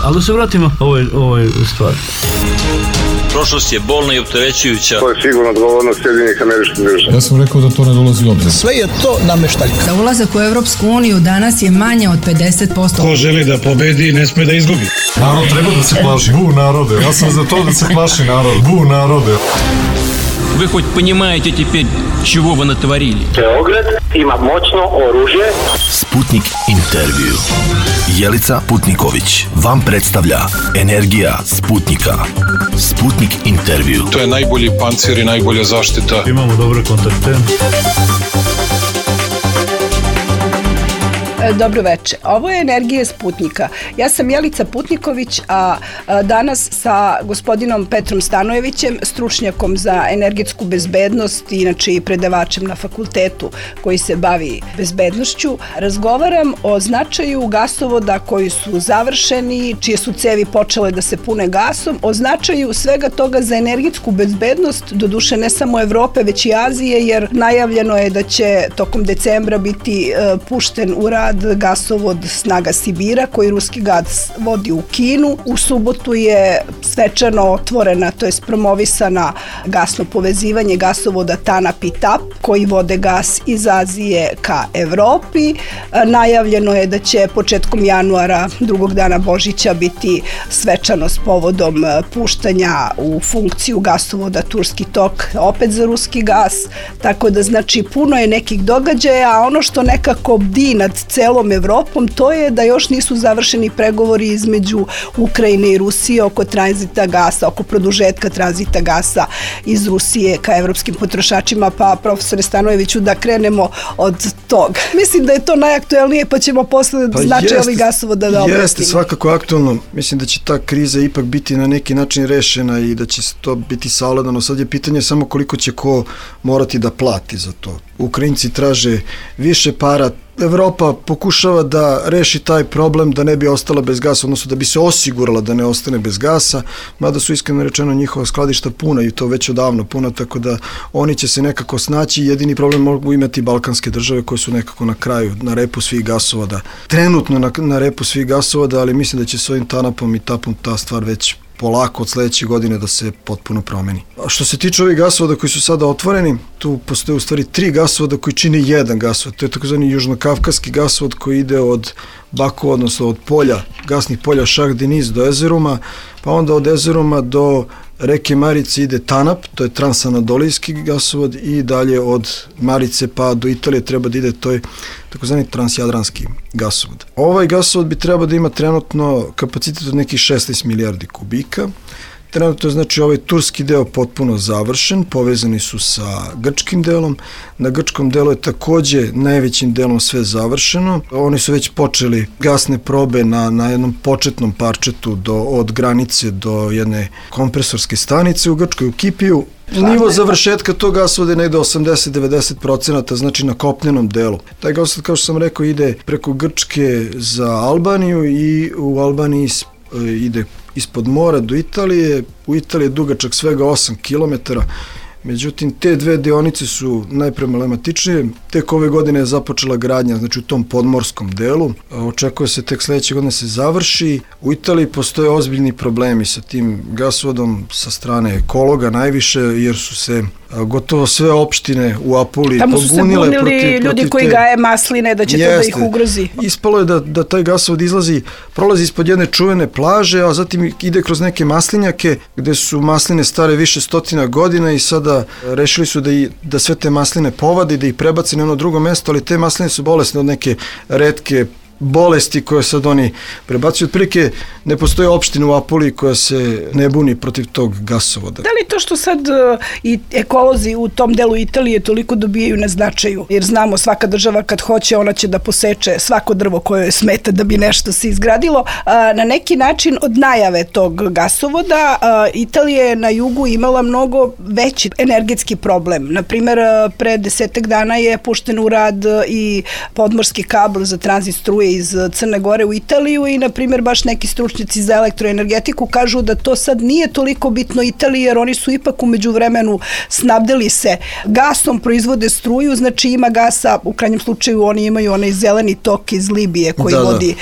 Ali da se vratimo ovoj stvari. Prošlost je bolna i opterećujuća. To je sigurno odgovornost Sjedinjenih Američkih Država. Ja sam rekao da to ne dolazi u obzir. Sve je to nameštaljka. Za ulazak u Evropsku uniju danas je manje od 50%. Ko želi da pobedi, ne sme da izgubi. Narod treba da se plaši. Bu narode. Ja sam za to da se plaši narod. Bu narode. Вы хоть понимаете теперь, чего вы натворили? Beograd ima moćno oružje. Sputnik intervju. Jelica Putniković vam predstavlja Energija Sputnika. Sputnik intervju. To je najbolji pancir i najbolja zaštita. Imamo dobre kontakte. Dobro veče. Ovo je Energija Sputnika. Ja sam Jelica Putniković, a danas sa gospodinom Petrom Stanojevićem, stručnjakom za energetsku bezbednost, inače i predavačem na fakultetu koji se bavi bezbednošću, razgovaram o značaju gasovoda koji su završeni, čije su cevi počele da se pune gasom, o značaju svega toga za energetsku bezbednost, doduše ne samo Evrope, već i Azije, jer najavljeno je da će tokom decembra biti pušten u rad gasovod Snaga Sibira koji ruski gas vodi u Kinu. U subotu je svečano otvorena, to jest promovisana gasno povezivanje gasovoda TANAP i TAP koji vode gas iz Azije ka Evropi. Najavljeno je da će početkom januara, drugog dana Božića, biti svečano s povodom puštanja u funkciju gasovoda Turski tok, opet za ruski gas, tako da znači puno je nekih događaja, a ono što nekako bdi nad celom Evropom, to je da još nisu završeni pregovori između Ukrajine i Rusije oko tranzita gasa, oko produžetka tranzita gasa iz Rusije ka evropskim potrošačima, pa profesore Stanojeviću da krenemo od toga. Mislim da je to najaktuelnije, pa ćemo posle značaj ovih gasovoda da obratimo. Jeste svakako aktuelno. Mislim da će ta kriza ipak biti na neki način rešena i da će to biti savladano. Sad je pitanje samo koliko će ko morati da plati za to. Ukrajinci traže više para, Evropa pokušava da reši taj problem da ne bi ostala bez gasa, odnosno da bi se osigurala da ne ostane bez gasa, mada su iskreno rečeno njihova skladišta puna i to već odavno puna, tako da oni će se nekako snaći. Jedini problem mogu imati balkanske države koje su nekako na kraju, na repu svih gasovoda. Trenutno na repu svih gasovoda, ali mislim da će s ovim TANAP-om i TAP-om ta stvar već polako od sledeće godine da se potpuno promeni. A što se tiče ovih gasovoda koji su sada otvoreni, tu postoje u stvari 3 gasovoda koji čine jedan gasovod. To je takozvani južnokavkaski gasovod koji ide od Baku, odnosno od polja, gasnih polja Šah Deniz do Ezeruma, pa onda od Ezeruma do reke Marice ide TANAP, to je transanadolijski gasovod, i dalje od Marice pa do Italije treba da ide, to je takozvani transjadranski gasovod. Ovaj gasovod bi trebao da ima trenutno kapacitet od nekih 16 milijardi kubika. Trenutno je znači ovaj turski deo potpuno završen, povezani su sa grčkim delom. Na grčkom delu je takođe najvećim delom sve završeno. Oni su već počeli gasne probe na jednom početnom parčetu od granice do jedne kompresorske stanice u Grčkoj, u Kipiju. Nivo završetka tog gasovoda je negde 80-90%, znači na kopnenom delu. Taj gasovod, kao što sam rekao, ide preko Grčke za Albaniju i u Albaniji ide ispod mora do Italije. U Italiji je dugačak svega 8 km, međutim te dve deonice su najproblematičnije. Tek ove godine je započela gradnja, znači u tom podmorskom delu. Očekuje se tek sledeće godine se završi. U Italiji postoje ozbiljni problemi sa tim gasovodom sa strane ekologa najviše, jer su se gotovo sve opštine u Apuliji pobunile. Tamo su se bunili ljudi koji gaje masline, da će to da ih ugrozi. Ispalo je da taj gasovod prolazi ispod jedne čuvene plaže, a zatim ide kroz neke maslinjake gde su masline stare više stotina godina i sada rešili su da sve te masline povade i da ih prebace na jedno drugo mesto, ali te masline su bolesne od neke retke bolesti koje sad oni prebacuju. Otprilike ne postoji opština u Apuliji koja se ne buni protiv tog gasovoda. Da li to što sad i ekolozi u tom delu Italije toliko dobijaju na značaju? Jer znamo, svaka država kad hoće, ona će da poseče svako drvo koje joj smeta da bi nešto se izgradilo. Na neki način od najave tog gasovoda Italija je na jugu imala mnogo veći energetski problem. Naprimer, pre 10 dana je pušten u rad i podmorski kabl za tranzit struje struje iz Crne Gore u Italiju i, na primjer, baš neki stručnjaci za elektroenergetiku kažu da to sad nije toliko bitno Italiji, jer oni su ipak umeđu vremenu snabdeli se gasom, proizvode struju, znači ima gasa, u krajnjem slučaju oni imaju onaj zeleni tok iz Libije koji vodi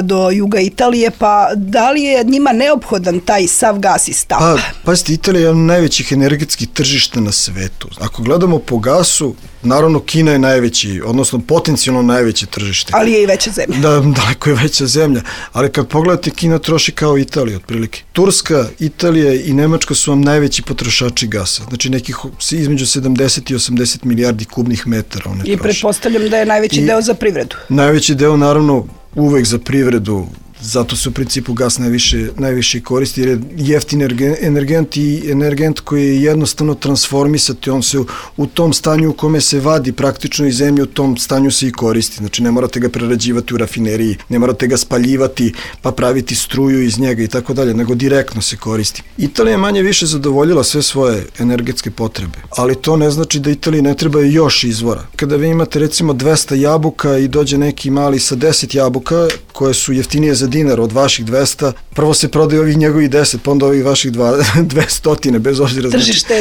do juga Italije, pa da li je njima neophodan taj sav gas iz tapa? Pazite, Italija je jedan od najvećih energetskih tržišta na svetu. Ako gledamo po gasu, naravno Kina je najveći, odnosno potencijalno najveće tržište. Ali je i veća zemlja. Da, daleko je veća zemlja. Ali kad pogledate, Kina troši kao Italija, otprilike. Turska, Italija i Nemačka su vam najveći potrošači gasa. Znači nekih između 70 i 80 milijardi kubnih metara one troši. I pretpostavljam da je najveći deo za privredu. Najveći deo, naravno, uvek za privredu. Zato se u principu gas najviše koristi, jer je jeftin energent i energent koji je jednostavno transformisati, on se u tom stanju u kome se vadi praktično iz zemlje, u tom stanju se i koristi. Znači ne morate ga prerađivati u rafineriji, ne morate ga spaljivati pa praviti struju iz njega i tako dalje, nego direktno se koristi. Italija je manje više zadovoljila sve svoje energetske potrebe, ali to ne znači da Italiji ne treba još izvora. Kada vi imate recimo 200 jabuka i dođe neki mali sa 10 jabuka koje su jeftinije za dinar od vaših 200, prvo se prodaju ovih njegovih 10, pa onda ovih vaših 200, bez obzira.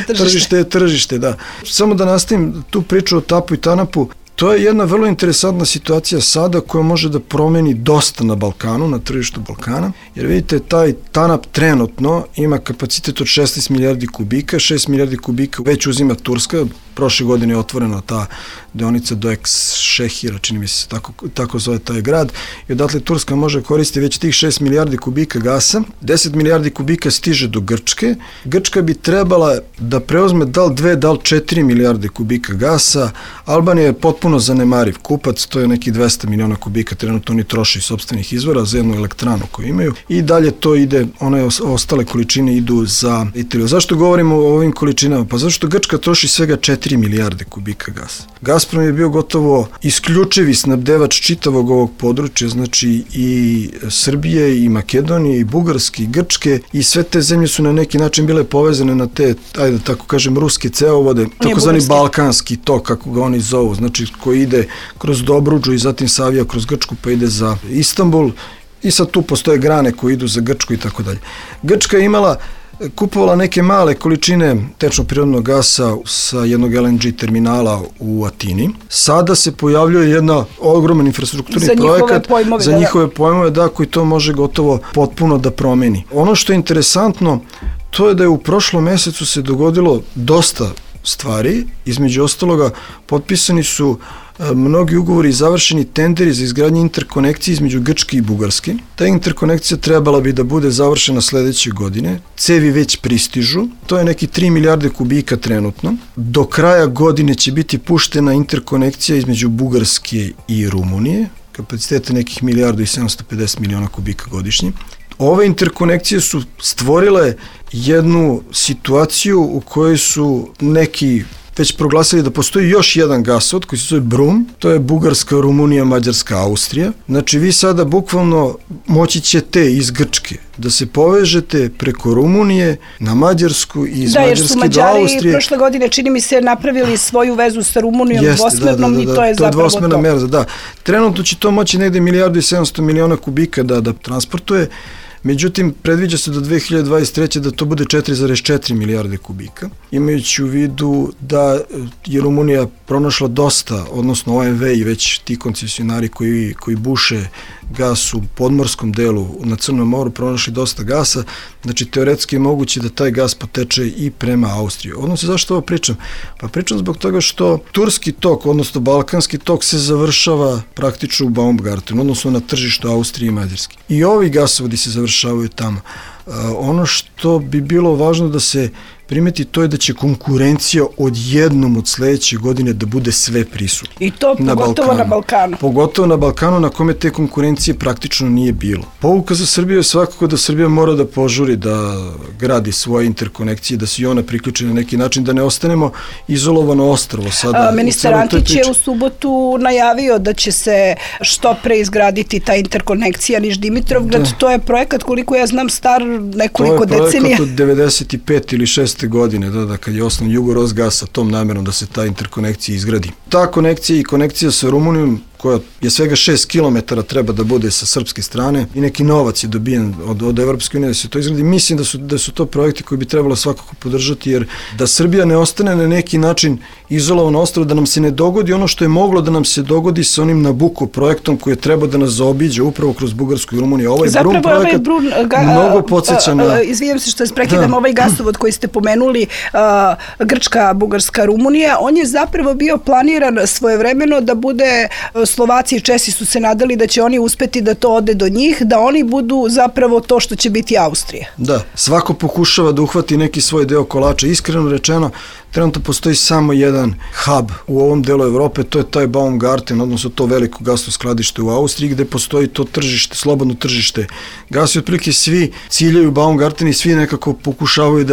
Tržište je tržište, da. Samo da nastavim tu priču o tapu i tanapu, to je jedna vrlo interesantna situacija sada koja može da promeni dosta na Balkanu, na tržištu Balkana, jer vidite, taj TANAP trenutno ima kapacitet od 16 milijardi kubika, 6 milijardi kubika već uzima Turska, prošle godine je otvorena ta deonica do Ekšehira, čini mi se tako zove taj grad, i odatle Turska može koristiti već tih 6 milijardi kubika gasa, 10 milijardi kubika stiže do Grčke, Grčka bi trebala da preuzme dal 2, dal 4 milijarde kubika gasa, Albanija je potpuno zanemariv kupac, to je neki 200 miliona kubika, trenutno oni troše iz sopstvenih izvora za jednu elektranu koju imaju i dalje to ide, one ostale količine idu za Italiju. Zašto govorimo o ovim količinama? Pa zašto Grčka troši svega 4 milijarde kubika gasa. Gazprom je bio gotovo isključivi snabdevač čitavog ovog područja, znači i Srbije, i Makedonije, i Bugarske, i Grčke, i sve te zemlje su na neki način bile povezane na te, ajde tako kažem, ruske cevovode, takozvani balkanski tok, kako ga oni zovu, znači koji ide kroz Dobruđu i zatim savija kroz Grčku pa ide za Istanbul i sad tu postoje grane koje idu za Grčku i tako dalje. Grčka je kupovala neke male količine tečnog prirodnog gasa sa jednog LNG terminala u Atini. Sada se pojavljuje jedna ogroman infrastrukturni projekat za njihove pojmove, da, koji to može gotovo potpuno da promeni. Ono što je interesantno, to je da je u prošlom mesecu se dogodilo dosta stvari, između ostaloga potpisani su mnogi ugovori i završeni tenderi za izgradnje interkonekcije između Grčke i Bugarske. Ta interkonekcija trebala bi da bude završena sledeće godine. Cevi već pristižu. To je neki 3 milijarde kubika trenutno. Do kraja godine će biti puštena interkonekcija između Bugarske i Rumunije. Kapacitete nekih 1.750 miliona kubika godišnje. Ove interkonekcije su stvorile jednu situaciju u kojoj su neki već proglasili da postoji još jedan gasovod koji se zove Brum, to je Bugarska, Rumunija, Mađarska, Austrija. Znači vi sada bukvalno moći ćete iz Grčke da se povežete preko Rumunije na Mađarsku i iz Mađarske do Austrije. Da, jer su Mađari prošle godine, čini mi se, napravili svoju vezu sa Rumunijom dvosmernom i to je zapravo to. To je dvosmerna merza, da. Trenutno će to moći negde 1.700 miliona kubika da transportuje. Međutim, predviđa se do 2023. da to bude 4,4 milijarde kubika. Imajući u vidu da je Rumunija pronašla dosta, odnosno OMV i već ti koncesionari koji buše gas u podmorskom delu na Crnom moru pronašli dosta gasa, znači teoretski je moguće da taj gas poteče i prema Austriji. Odnosno, zašto ovo pričam? Pa pričam zbog toga što turski tok, odnosno balkanski tok se završava praktično u Baumgartenu, odnosno na tržištu Austrije i Mađarske. I ovi gasovodi se završavaju tamo. Ono što bi bilo važno da se primeti, to je da će konkurencija odjednom od sledeće godine da bude sve prisutna. I to pogotovo na Balkanu. Pogotovo na Balkanu na kome te konkurencije praktično nije bilo. Pouka za Srbiju je svakako da Srbija mora da požuri da gradi svoje interkonekcije, da se i ona priključi na neki način, da ne ostanemo izolovano ostrvo sada. Ministar Antić je u subotu najavio da će se što pre izgraditi ta interkonekcija Niš-Dimitrovgrad. To je projekat, koliko ja znam, star nekoliko decenija. To je projekat od 95 ili 6 godine, kad je osnovan Jugorosgas sa tom namerom da se ta interkonekcija izgradi. Ta konekcija i konekcija sa Rumunijom koja je svega 6 km treba da bude sa srpske strane i neki novac je dobijen od Evropske unije da se to izgradi. Mislim da su to projekti koji bi trebalo svakako podržati, jer da Srbija ne ostane na neki način izolovano ostrvo, da nam se ne dogodi ono što je moglo da nam se dogodi sa onim Nabucco projektom koji je trebao da nas zaobiđe upravo kroz Bugarsku i Rumuniju. Ovaj Brun projekat mnogo podsjeća na... Izvijem se što se prekidam, ovaj gasovod koji ste pomenuli, Grčka, Bugarska, Rumunija, on je zapravo bio planiran svojevremeno da bude, Slovaci i Česi su se nadali da će oni uspeti da to ode do njih, da oni budu zapravo to što će biti Austrija. Da, svako pokušava da uhvati neki svoj deo kolača. Iskreno rečeno, trenutno postoji samo jedan hub u ovom delu Evrope, to je taj Baumgarten, odnosno to veliko gasno skladište u Austriji, gde postoji to tržište, slobodno tržište gasa i otprilike svi ciljaju Baumgarten i svi nekako pokušavaju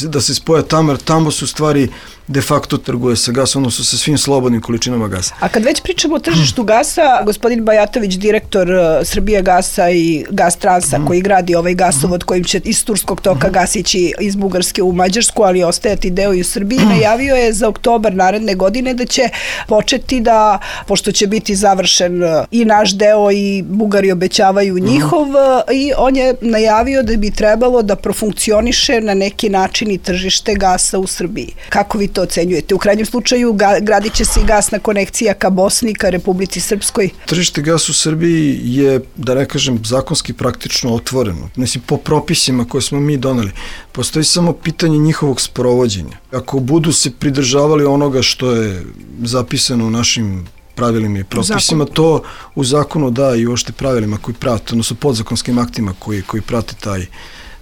da se spoje tamo, jer tamo su stvari de facto trguje sa gasom, odnosno sa svim slobodnim količinama gasa. A kad već pričamo o tržištu gasa, gospodin Bajatović, direktor Srbije gasa i Gas Transa, koji gradi ovaj gasovod kojim će iz Turskog toka gas ići iz Bugarske u Mađarsku, ali ostajati deo i u Srbiji, najavio je za oktobar naredne godine da će početi da, pošto će biti završen i naš deo i Bugari obećavaju njihov, i on je najavio da bi trebalo da profunkcioniše na neki način i tržište gasa u Srbiji. Kako vi to ocenjujete? U krajnjem slučaju gradit će se i gasna konekcija ka Bosni, ka Republici Srpskoj. Tržište gasa u Srbiji je, da ne kažem, zakonski praktično otvoreno. Mislim, po propisima koje smo mi doneli. Postoji samo pitanje njihovog sprovođenja. Ako budu se pridržavali onoga što je zapisano u našim pravilima i propisima, to u zakonu da i uopšte pravilima koji prate, odnosno podzakonskim aktima koji prate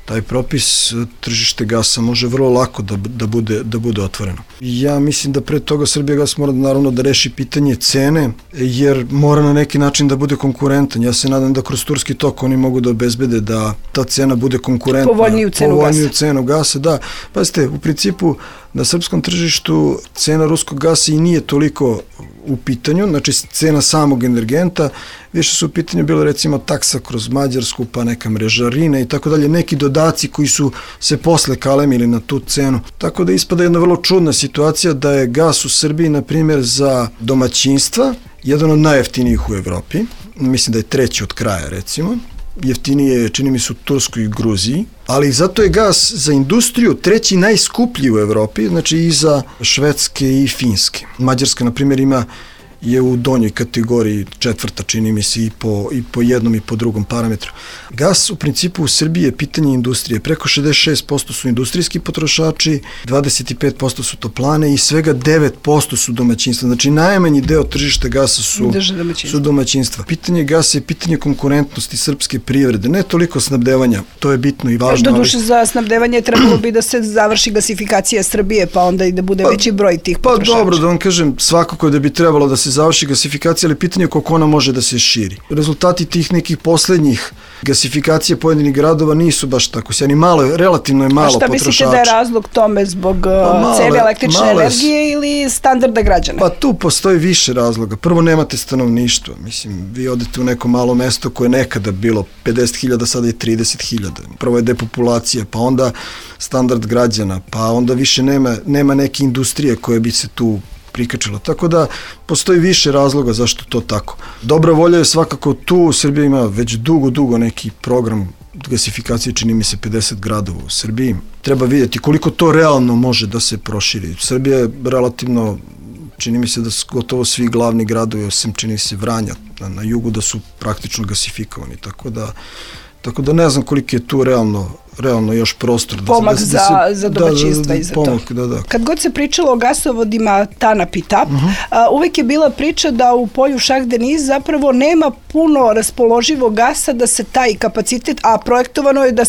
taj propis, tržište gasa može vrlo lako da bude otvoreno. Ja mislim da pre toga Srbijagas mora naravno da reši pitanje cene, jer mora na neki način da bude konkurentan. Ja se nadam da kroz Turski tok oni mogu da obezbede da ta cena bude konkurentna. Povoljniju cenu gasa. Da, pazite, u principu na srpskom tržištu cena ruskog gasa i nije toliko u pitanju, znači cena samog energenta, više su u pitanju bilo recimo taksa kroz Mađarsku, pa neka mrežarina i tako dalje, neki dodaci koji su se posle kalemili na tu cenu. Tako da ispada jedna vrlo čudna situacija da je gas u Srbiji, na primjer, za domaćinstva jedan od najjeftinijih u Evropi, mislim da je treći od kraja recimo, jeftinije čini mi se u Turskoj i Gruziji, ali zato je gas za industriju treći najskuplji u Evropi, znači i za Švedske i Finske. Mađarska, na primjer, je u donjoj kategoriji, četvrta čini mi se i po jednom i po drugom parametru. Gas u principu u Srbiji je pitanje industrije. Preko 66% su industrijski potrošači, 25% su toplane i svega 9% su domaćinstva. Znači najmanji deo tržišta gasa su domaćinstva. Pitanje gasa je pitanje konkurentnosti srpske privrede, ne toliko snabdevanja, to je bitno i važno. Doduše za snabdevanje trebalo bi da se završi gasifikacija Srbije, pa onda i da bude veći broj tih potrošača. Pa dobro, da vam kažem, svakako da bi trebalo da se završi gasifikacija, ali pitanje je koliko ona može da se širi. Rezultati tih nekih poslednjih gasifikacija pojedinih gradova nisu baš tako sjajni. Relativno je malo potrošača. A šta mislite da je razlog tome zbog cene električne energije ili standarda građana? Pa tu postoji više razloga. Prvo, nemate stanovništvo. Mislim, vi odete u neko malo mesto koje je nekada bilo 50.000, sada je 30.000. Prvo je depopulacija, pa onda standard građana, pa onda više nema neke industrije koje bi se tu prikačilo. Tako da postoji više razloga zašto to tako. Dobra volja je svakako tu. Srbija ima već dugo neki program gasifikacije, čini mi se 50 gradova u Srbiji. Treba vidjeti koliko to realno može da se proširi. Srbija je relativno, čini mi se da su gotovo svi glavni gradovi, osim čini se Vranja na jugu, da su praktično gasifikovani. Tako da ne znam koliko je tu realno još prostor. Pomak za domaćinstva i za to. Kad god se pričalo o gasovodima TANAP i TAP, uvek je bila priča da u polju Šah-Deniz zapravo nema puno raspoloživog gasa da se taj kapacitet, a projektovano je da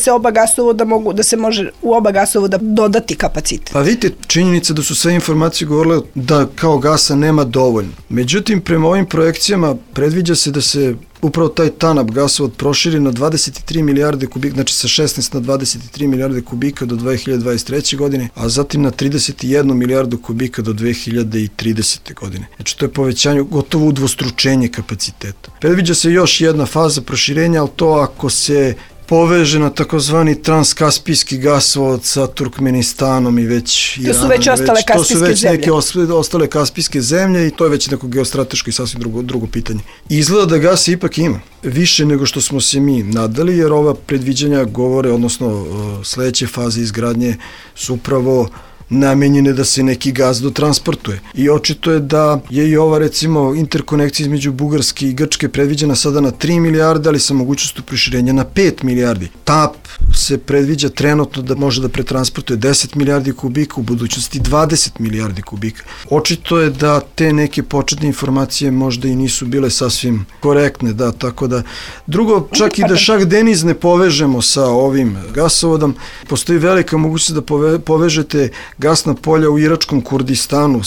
se može u oba gasovoda dodati kapacitet. Pa vidite, činjenica da su sve informacije govorile da kao gasa nema dovoljno. Međutim, prema ovim projekcijama predviđa se da se upravo taj TANAP gasovod proširi na 23 milijarde kubika, znači sa 16 na 23 milijarde kubika do 2023. godine, a zatim na 31 milijardu kubika do 2030. godine. Znači to je povećanje, gotovo udvostručenje kapaciteta. Predviđa se još jedna faza proširenja, ali to ako se poveže na takozvani transkaspijski gasovod sa Turkmenistanom i već Iranom. To su već ostale kaspijske zemlje. To su već neke ostale kaspijske zemlje i to je već neko geostrateško i sasvim drugo pitanje. Izgleda da gasa ipak ima. Više nego što smo se mi nadali, jer ova predviđanja govore, odnosno sledeće faze izgradnje su upravo namenjene da se neki gas dotransportuje. I očito je da je i ova, recimo, interkonekcija između Bugarske i Grčke predviđena sada na 3 milijarde, ali sa mogućnostu proširenja na 5 milijardi. TAP se predviđa trenutno da može da pretransportuje 10 milijardi kubika, u budućnosti 20 milijardi kubika. Očito je da te neke početne informacije možda i nisu bile sasvim korektne, da, tako da. Drugo, čak i da Šah Deniz ne povežemo sa ovim gasovodom, postoji velika mogućnost da povežete gasna polja u iračkom Kurdistanu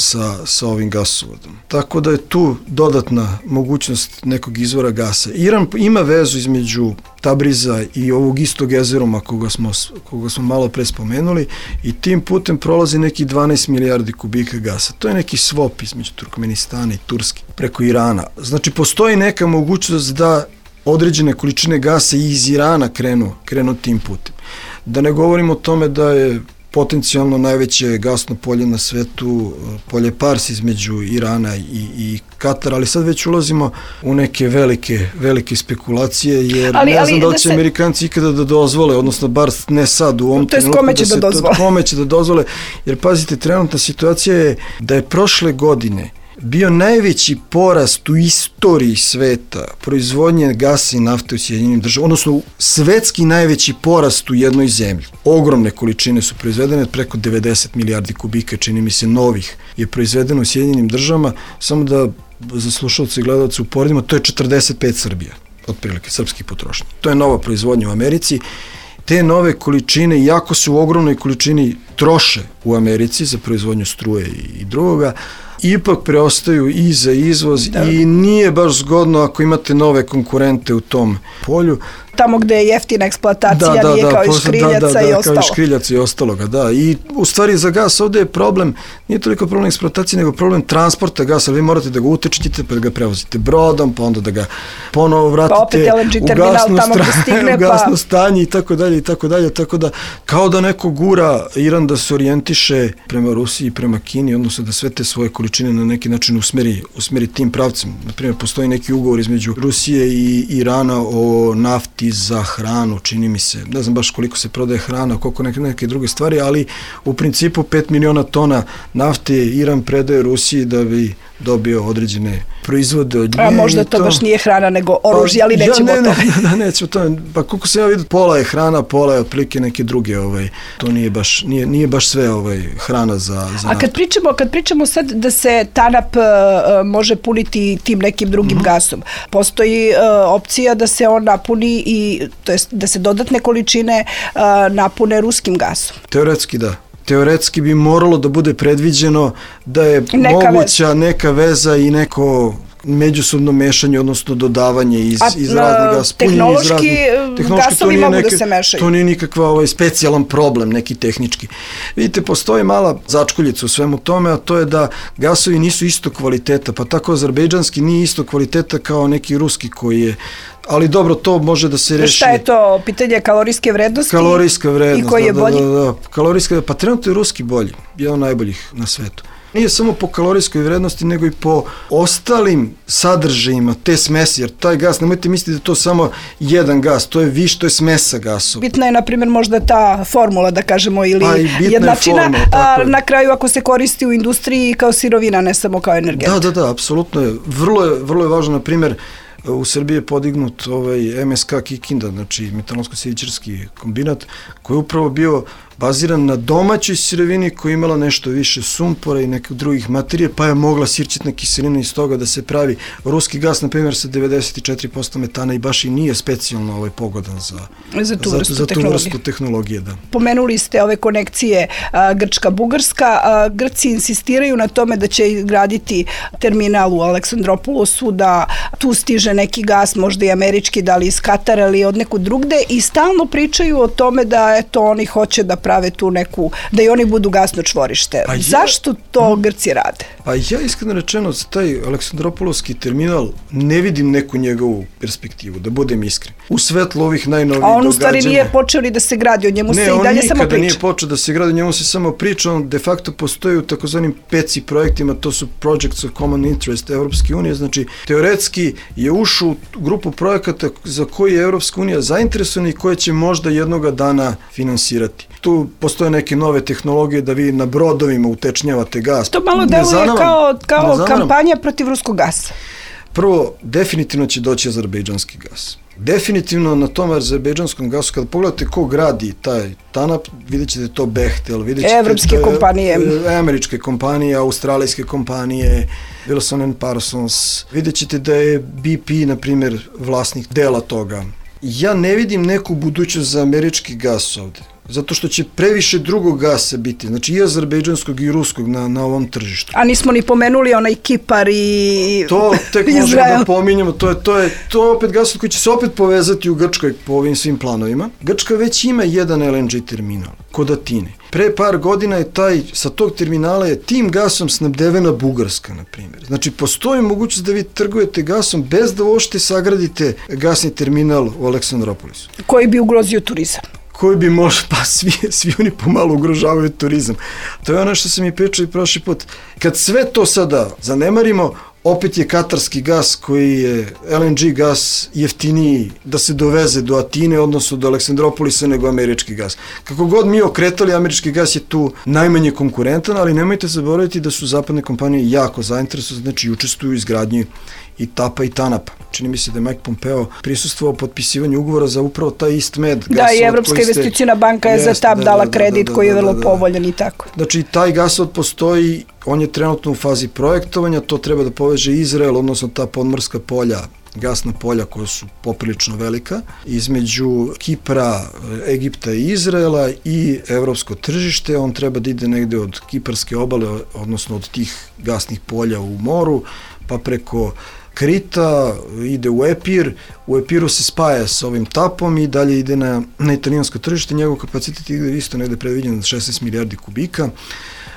sa ovim gasovodom. Tako da je tu dodatna mogućnost nekog izvora gasa. Iran ima vezu između Tabriza i ovog istog jezeroma koga smo malo pre spomenuli i tim putem prolazi neki 12 milijardi kubika gasa. To je neki swap između Turkmenistana i Turske preko Irana. Znači, postoji neka mogućnost da određene količine gasa iz Irana krenu tim putem. Da ne govorimo o tome da je potencijalno najveće gasno polje na svetu, polje Pars između Irana i Katara, ali sad već ulazimo u neke velike spekulacije, jer ne znam da li će Amerikanci ikada da dozvole, odnosno bar ne sad u ovom trenutku, kome će da dozvole, jer pazite, trenutna situacija je da je prošle godine bio najveći porast u istoriji sveta proizvodnje gasa i nafte u Sjedinjenim Državama, odnosno svetski najveći porast u jednoj zemlji. Ogromne količine su proizvedene, preko 90 milijardi kubika, čini mi se, novih je proizvedeno u Sjedinjenim Državama, samo da za slušalce i gledalce uporedimo, to je 45 Srbija, otprilike, srpskih potrošnja. To je nova proizvodnja u Americi. Te nove količine, iako se u ogromnoj količini troše u Americi za proizvodnju struje i drugoga, ipak preostaju i za izvoz i nije baš zgodno ako imate nove konkurente u tom polju. Tamo gde je jeftina eksploatacija, nije kao i škriljaca i ostalo. Kao i škriljaca i ostaloga, da. I u stvari za gas ovde je problem, nije toliko problem eksploatacije, nego problem transporta gasa. Vi morate da ga utečete, pa da ga prevozite brodom, pa onda da ga ponovo vratite u gasno stanje i tako dalje, tako da kao da neko gura Iran da se orijentiše prema Rusiji i prema Kini, odnosno da sve te svoje količine na neki način usmeri tim pravcem. Naprimjer, postoji neki ugovor između Rusije i Irana o nafti za hranu, čini mi se, ne znam baš koliko se prodaje hrana, koliko neke druge stvari, ali u principu 5 miliona tona nafte Iran predaje Rusiji da bi dobio određene proizvode od nje. A možda to baš nije hrana, nego oružje, ali nećemo o tome. Nećemo o tome. Pa koliko se ja vidim, pola je hrana, pola je otprilike neke druge, to nije baš sve hrana za A kad pričamo sad da se TANAP može puniti tim nekim drugim gasom, postoji opcija da se on napuni i to jest da se dodatne količine napune ruskim gasom. Teoretski da. Teoretski bi moralo da bude predviđeno da je moguća neka veza i neko međusobno mešanje, odnosno dodavanje iz raznih gasa. Tehnološki gasovi mogu da se mešaju. To nije nikakva specijalan problem, neki tehnički. Vidite, postoji mala začkoljica u svemu tome, a to je da gasovi nisu isto kvaliteta, pa tako azerbejdžanski nije isto kvaliteta kao neki ruski koji je, ali dobro, to može da se reši. Šta je to? Pitanje kalorijske vrednosti? Kalorijska vrednost. I koji je bolji? Da. Kalorijska, pa trenutno je ruski bolji, jedan od najboljih na svetu. Nije samo po kalorijskoj vrednosti, nego i po ostalim sadržajima te smesi, jer taj gas, nemojte misliti da je to samo jedan gas, to je to je smesa gasova. Bitna je, na primjer, možda ta formula, da kažemo, ili jednačina, na kraju ako se koristi u industriji kao sirovina, ne samo kao energent. Da, apsolutno je. Vrlo je važno, na primjer, u Srbiji je podignut MSK Kikinda, znači metalonsko-sivičarski kombinat, koji je upravo bio baziran na domaćoj sirovini koja je imala nešto više sumpora i nekih drugih materija, pa je mogla sirćetna kiselina iz toga da se pravi. Ruski gas, na primjer, sa 94% metana i baš i nije specijalno pogodan za tu vrstu tehnologije. Da. Pomenuli ste ove konekcije Grčka-Bugarska. Grci insistiraju na tome da će graditi terminal u Aleksandropolosu, da tu stiže neki gas, možda i američki, da li iz Katara ili od neku drugde, i stalno pričaju o tome da oni hoće da prave tu neku, da i oni budu gasno čvorište. Zašto to Grci rade? Pa ja iskreno rečeno za taj Aleksandropolski terminal ne vidim neku njegovu perspektivu, da budem iskren. U svetlu ovih najnovijih A događanja. on u stvari nije počeo ni da se gradi, o njemu se i dalje samo priča. Ne, on nikada nije počeo da se gradi, o njemu se samo priča, on de facto postoji u takozvanim PECI projektima, to su Projects of Common Interest Evropske unije, znači teoretski je ušao u grupu projekata za koji je Evropska unija zainteresovana i koje će možda jednoga dana finansirati. Tu postoje neke nove tehnologije da vi na brodovima utečnjavate gas. To malo deluje kao kampanja protiv ruskog gasa. Prvo, definitivno će doći azerbejdžanski gas. Definitivno na tom azerbejdžanskom gasu, kada pogledate ko gradi taj TANAP, vidjet ćete to Bechtel, vidjet ćete evropske kompanije, američke kompanije, australijske kompanije, Wilson & Parsons, vidjet ćete da je BP, na primjer, vlasnik dela toga. Ja ne vidim neku budućnost za američki gas ovde, zato što će previše drugog gasa biti, znači i azerbejdžanskog i ruskog na ovom tržištu. A nismo ni pomenuli onaj Kipar i to tek možemo da pominjemo, to je opet gas koji će se opet povezati u Grčkoj po ovim svim planovima. Grčka već ima jedan LNG terminal kod Atine. Pre par godina je sa tog terminala je tim gasom snabdevena Bugarska, na primjer. Znači, postoji mogućnost da vi trgujete gasom bez da uopšte sagradite gasni terminal u Aleksandropolisu. Koji bi ugrozio turizam. Koji bi možda, pa svi oni pomalo ugrožavaju turizam. To je ono što sam i pričao i prošli put. Kad sve to sada zanemarimo, opet je katarski gas koji je LNG gas jeftiniji da se doveze do Atine, odnosno do Aleksandropolisa nego američki gas. Kako god mi okretali, američki gas je tu najmanje konkurentan, ali nemojte zaboraviti da su zapadne kompanije jako zainteresovane, znači učestvuju u izgradnji i TAP-a i TANAP-a. Čini mi se da je Mike Pompeo prisustvovao potpisivanju ugovora za upravo taj IstMed. Da, i Evropska investicijna banka je za TAP dala kredit koji je vrlo povoljan i tako. Znači, taj gasovod postoji, on je trenutno u fazi projektovanja, to treba da poveže Izrael, odnosno ta podmorska polja, gasna polja koja su poprilično velika, između Kipra, Egipta i Izraela i evropsko tržište. On treba da ide negde od kiparske obale, odnosno od tih gasnih polja u moru, pa preko Krita, ide u Epir, u Epiru se spaja s ovim TAP-om i dalje ide na italijansko tržište, njegov kapacitet ide isto negde predviđen na 16 milijardi kubika.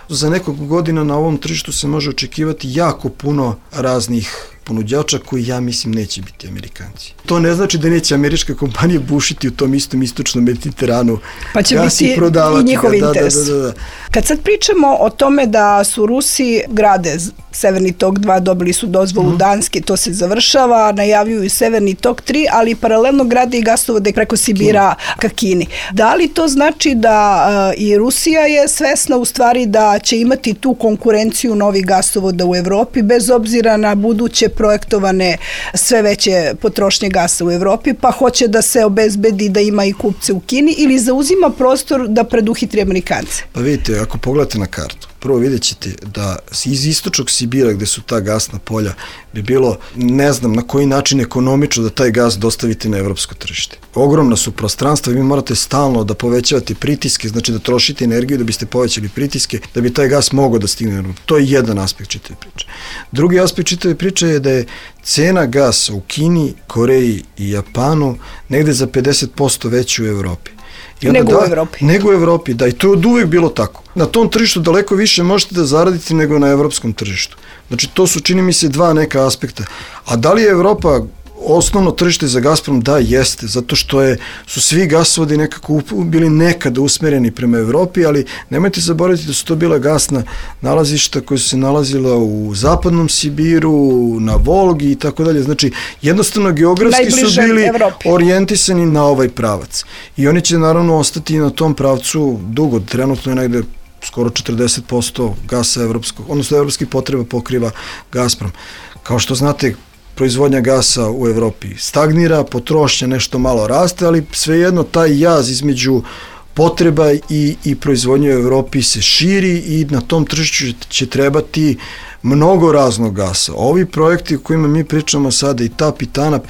Za nekog godina na ovom tržištu se može očekivati jako puno raznih ponuđača koji ja mislim neće biti Amerikanci. To ne znači da neće američke kompanije bušiti u tom istom istočnom Mediteranu. Pa će biti i njihov interes. Da. Kad sad pričamo o tome da su Rusi grade Severni tok 2, dobili su dozvolu Danske, to se završava, najavljuju i Severni tok 3, ali paralelno grade i gasovode preko Sibira ka Kini. Da li to znači da i Rusija je svesna u stvari da će imati tu konkurenciju novih gasovoda u Evropi, bez obzira na buduće projektovane sve veće potrošnje gasa u Evropi, pa hoće da se obezbedi da ima i kupce u Kini, ili zauzima prostor da preduhitri Amerikance? Pa vidite, ako pogledate na kartu, prvo vidjet ćete da iz istočnog Sibira, gde su ta gasna polja, bi bilo, ne znam na koji način ekonomično da taj gas dostavite na evropsko tržište. Ogromna su prostranstva i vi morate stalno da povećavate pritiske, znači da trošite energiju da biste povećali pritiske, da bi taj gas mogao da stigne. To je jedan aspekt čitave priče. Drugi aspekt čitave priče je da je cena gasa u Kini, Koreji i Japanu negde za 50% veća u Evropi. Nego u Evropi, da, i to je od uvek bilo tako. Na tom tržištu daleko više možete da zaradite nego na evropskom tržištu. Znači, to su, čini mi se, dva neka aspekta. A da li je Evropa osnovno tržište za Gazprom? Da, jeste, zato što su svi gasovodi nekako bili nekada usmereni prema Evropi, ali nemojte zaboraviti da su to bila gasna nalazišta koja su se nalazila u zapadnom Sibiru, na Volgi i tako dalje. Znači, jednostavno geografski su bili orijentisani na ovaj pravac. I oni će naravno ostati na tom pravcu dugo. Trenutno je negde skoro 40% gasa evropskog, odnosno evropskih potreba pokriva Gazprom. Kao što znate, proizvodnja gasa u Evropi stagnira, potrošnja nešto malo raste, ali svejedno taj jaz između potreba i proizvodnje u Evropi se širi i na tom tržištu će trebati mnogo raznog gasa. Ovi projekti o kojima mi pričamo sada, i TAP i TANAP,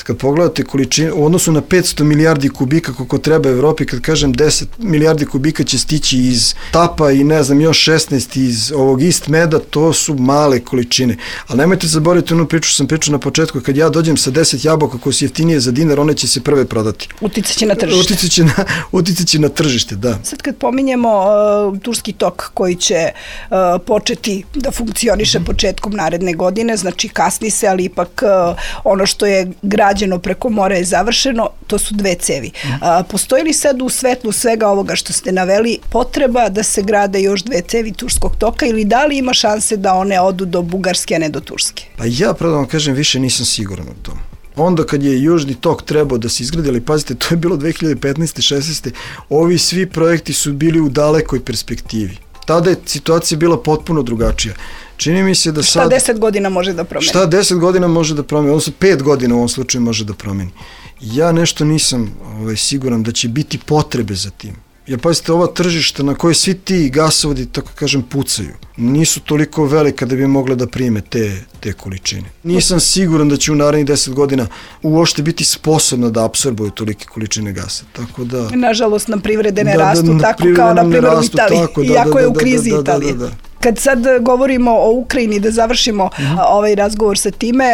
kad pogledate količinu, u odnosu na 500 milijardi kubika koliko treba Evropi, kad kažem 10 milijardi kubika će stići iz TAP-a i ne znam još 16 iz ovog IstMeda, to su male količine. Ali nemojte zaboraviti onu priču, sam pričao na početku, kad ja dođem sa 10 jabuka koje su jeftinije za dinar, one će se prve prodati. Uticaće na tržište. Uticaće na tržište, da. Sad kad pominjemo Turski tok koji će početi da funkcioniše početkom naredne godine, znači kasni se, ali ipak ono što je grad rađeno preko mora je završeno, to su 2 cevi. Postoji li sad u svetlu svega ovoga što ste naveli potreba da se grade još 2 cevi Turskog toka ili da li ima šanse da one odu do Bugarske, a ne do Turske? Pa ja, pravo da vam kažem, više nisam siguran u tom. Onda kad je Južni tok trebao da se izgradi, ali pazite, to je bilo 2015. 16. Ovi svi projekti su bili u dalekoj perspektivi. Tada je situacija bila potpuno drugačija. Čini mi se da sad... Šta 10 godina može da promeni? Šta 10 godina može da promeni, odnosno 5 godina u ovom slučaju može da promeni. Ja nešto nisam siguran da će biti potrebe za tim. Jer pazite, ova tržišta na koje svi ti gasovodi, tako kažem, pucaju, nisu toliko velika da bi mogle da prime te količine. Nisam siguran da će u narednih 10 godina uopšte biti sposobna da apsorbuju tolike količine gasa. Tako da... Nažalost, nam privrede ne rastu tako kao na primjer u Italiji, iako je u krizi Italije. Kad sad govorimo o Ukrajini, da završimo ovaj razgovor sa time,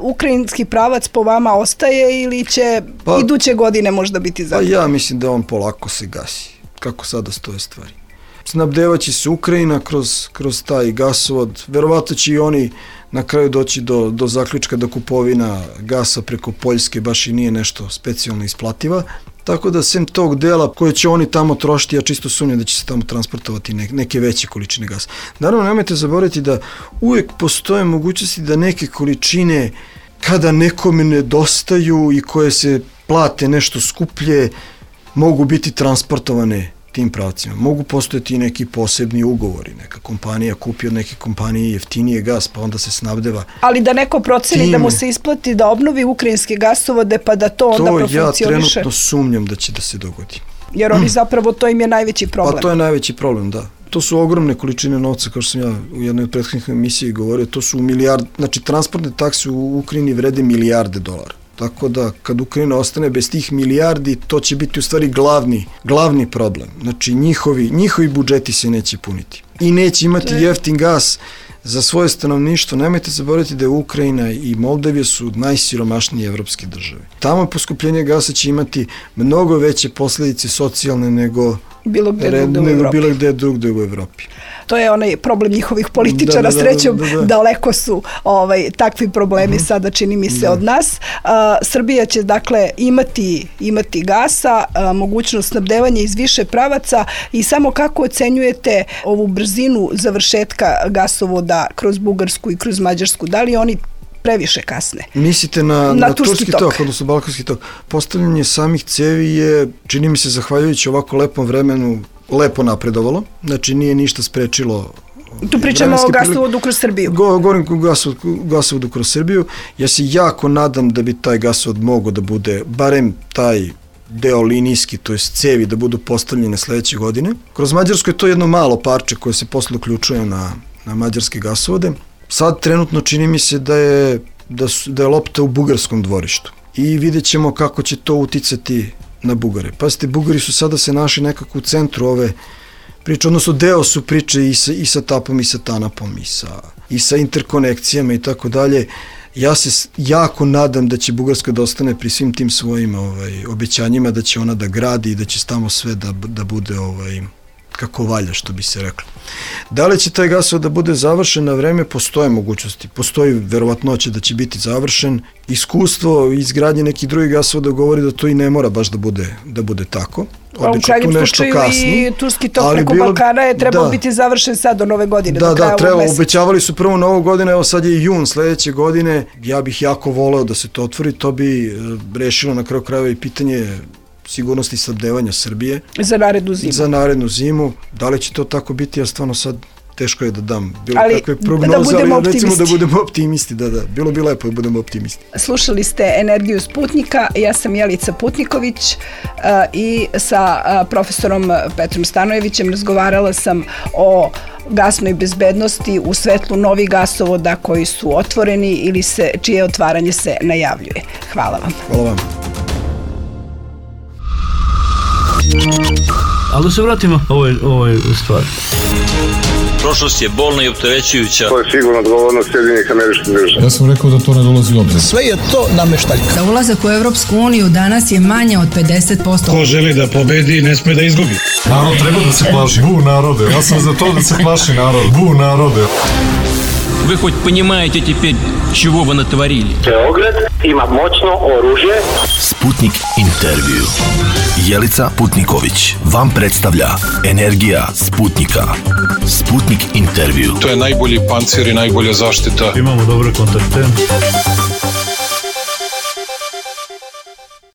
ukrajinski pravac po vama ostaje ili će iduće godine možda biti zatvoren? Pa ja mislim da on polako se gasi, kako sada stoje stvari. Snabdevaće se Ukrajina kroz taj gasovod, verovatno će i oni na kraju doći do zaključka da kupovina gasa preko Poljske baš i nije nešto specijalno isplativa. Tako da sem tog dela koje će oni tamo trošiti, ja čisto sumnjam da će se tamo transportovati neke veće količine gasa. Naravno, nemojte zaboraviti da uvijek postoje mogućnosti da neke količine, kada nekome nedostaju i koje se plate nešto skuplje, mogu biti transportovane tim pravcima. Mogu postojati i neki posebni ugovori. Neka kompanija kupi od neke kompanije jeftinije gas, pa onda se snabdeva. Ali da neko proceni da mu se isplati da obnovi ukrajinske gasovode, pa da to onda profunkcioniše. To ja trenutno sumnjam da će da se dogodi. Jer oni zapravo, to im je najveći problem. Pa to je najveći problem, da. To su ogromne količine novca, kao što sam ja u jednoj od prethodnih emisiji govorio, to su znači transportne takse u Ukrajini vrede milijarde dolara. Tako da kad Ukrajina ostane bez tih milijardi, to će biti u stvari glavni problem. Znači njihovi budžeti se neće puniti. I neće imati jeftin gas za svoje stanovništvo. Nemojte zaboraviti da je Ukrajina i Moldavija su najsiromašnije evropske države. Tamo poskupljenje gasa će imati mnogo veće posljedice socijalne nego bilo gde drugde u Evropi. To je onaj problem njihovih političara, srećom daleko su takvi problemi sada, čini mi se, od nas. Srbija će dakle imati gasa, mogućnost snabdevanja iz više pravaca i samo kako ocenjujete ovu brzinu završetka gasovoda kroz Bugarsku i kroz Mađarsku? Da li oni previše kasne? Mislite na Turski tok, odnosno Balkanski tok. Postavljanje samih cevi je, čini mi se, zahvaljujući ovako lepom vremenu, lepo napredovalo. Znači nije ništa sprečilo. Tu pričamo o gasovodu kroz Srbiju. Govorim o gasovodu kroz Srbiju. Ja se jako nadam da bi taj gasovod mogao da bude, barem taj deo linijski, to je cevi, da budu postavljene sledeće godine. Kroz Mađarsku je to jedno malo parče koje se posle uključuje na mađarske gasovode. Sad trenutno čini mi se da je lopta u bugarskom dvorištu i vidjet ćemo kako će to uticati na Bugare. Pazite, Bugari su sada se našli nekako u centru ove priče, odnosno deo su priče i sa Tapom i sa Tanapom i sa interkonekcijama i tako dalje. Ja se jako nadam da će Bugarska da ostane pri svim tim svojim obećanjima, da će ona da gradi i da će tamo sve da bude kako valja, što bi se reklo. Da li će taj gasovod da bude završen na vreme? Postoje mogućnosti. Postoji verovatnoća da će biti završen. Iskustvo izgradnje nekih drugih gasovoda govori da to i ne mora baš da bude tako. U krajnjem slučaju i Turski tok preko Balkana je trebao biti završen sad do nove godine. Da, obećavali su prvo novu godinu, evo sad je jun sledeće godine. Ja bih jako voleo da se to otvori, to bi rešilo na kraju krajeva i pitanje sigurnosti snabdevanja Srbije. Za narednu zimu. Da li će to tako biti? Ja stvarno sad teško je da dam bilo kakve prognoze, ali recimo da budemo optimisti. Bilo bi lepo da budemo optimisti. Slušali ste Energiju Sputnika, ja sam Jelica Putniković i sa profesorom Petrom Stanojevićem razgovarala sam o gasnoj bezbednosti u svetlu novih gasovoda koji su otvoreni ili čije otvaranje se najavljuje. Hvala vam. Hvala vam. Ali da se vratimo ovoj stvari. Prošlost je bolna i opterećujuća. To je sigurno odgovornost Sjedinjenih Američkih Država. Ja sam rekao da to ne dolazi u obzir. Sve je to nameštaljka. Za ulazak u Evropsku uniju danas je manje od 50%. Ko želi da pobedi, ne sme da izgubi. Narod treba da se plaši. Bu narode. Ja sam za to da se plaši narod. Bu narode. Вы хоть понимаете теперь, чего вы натворили? Beograd ima moćno oružje. Sputnik intervju. Jelica Putniković vam predstavlja Energija Sputnika. Sputnik intervju. To je najbolji pancir i najbolja zaštita. Imamo dobre kontakte.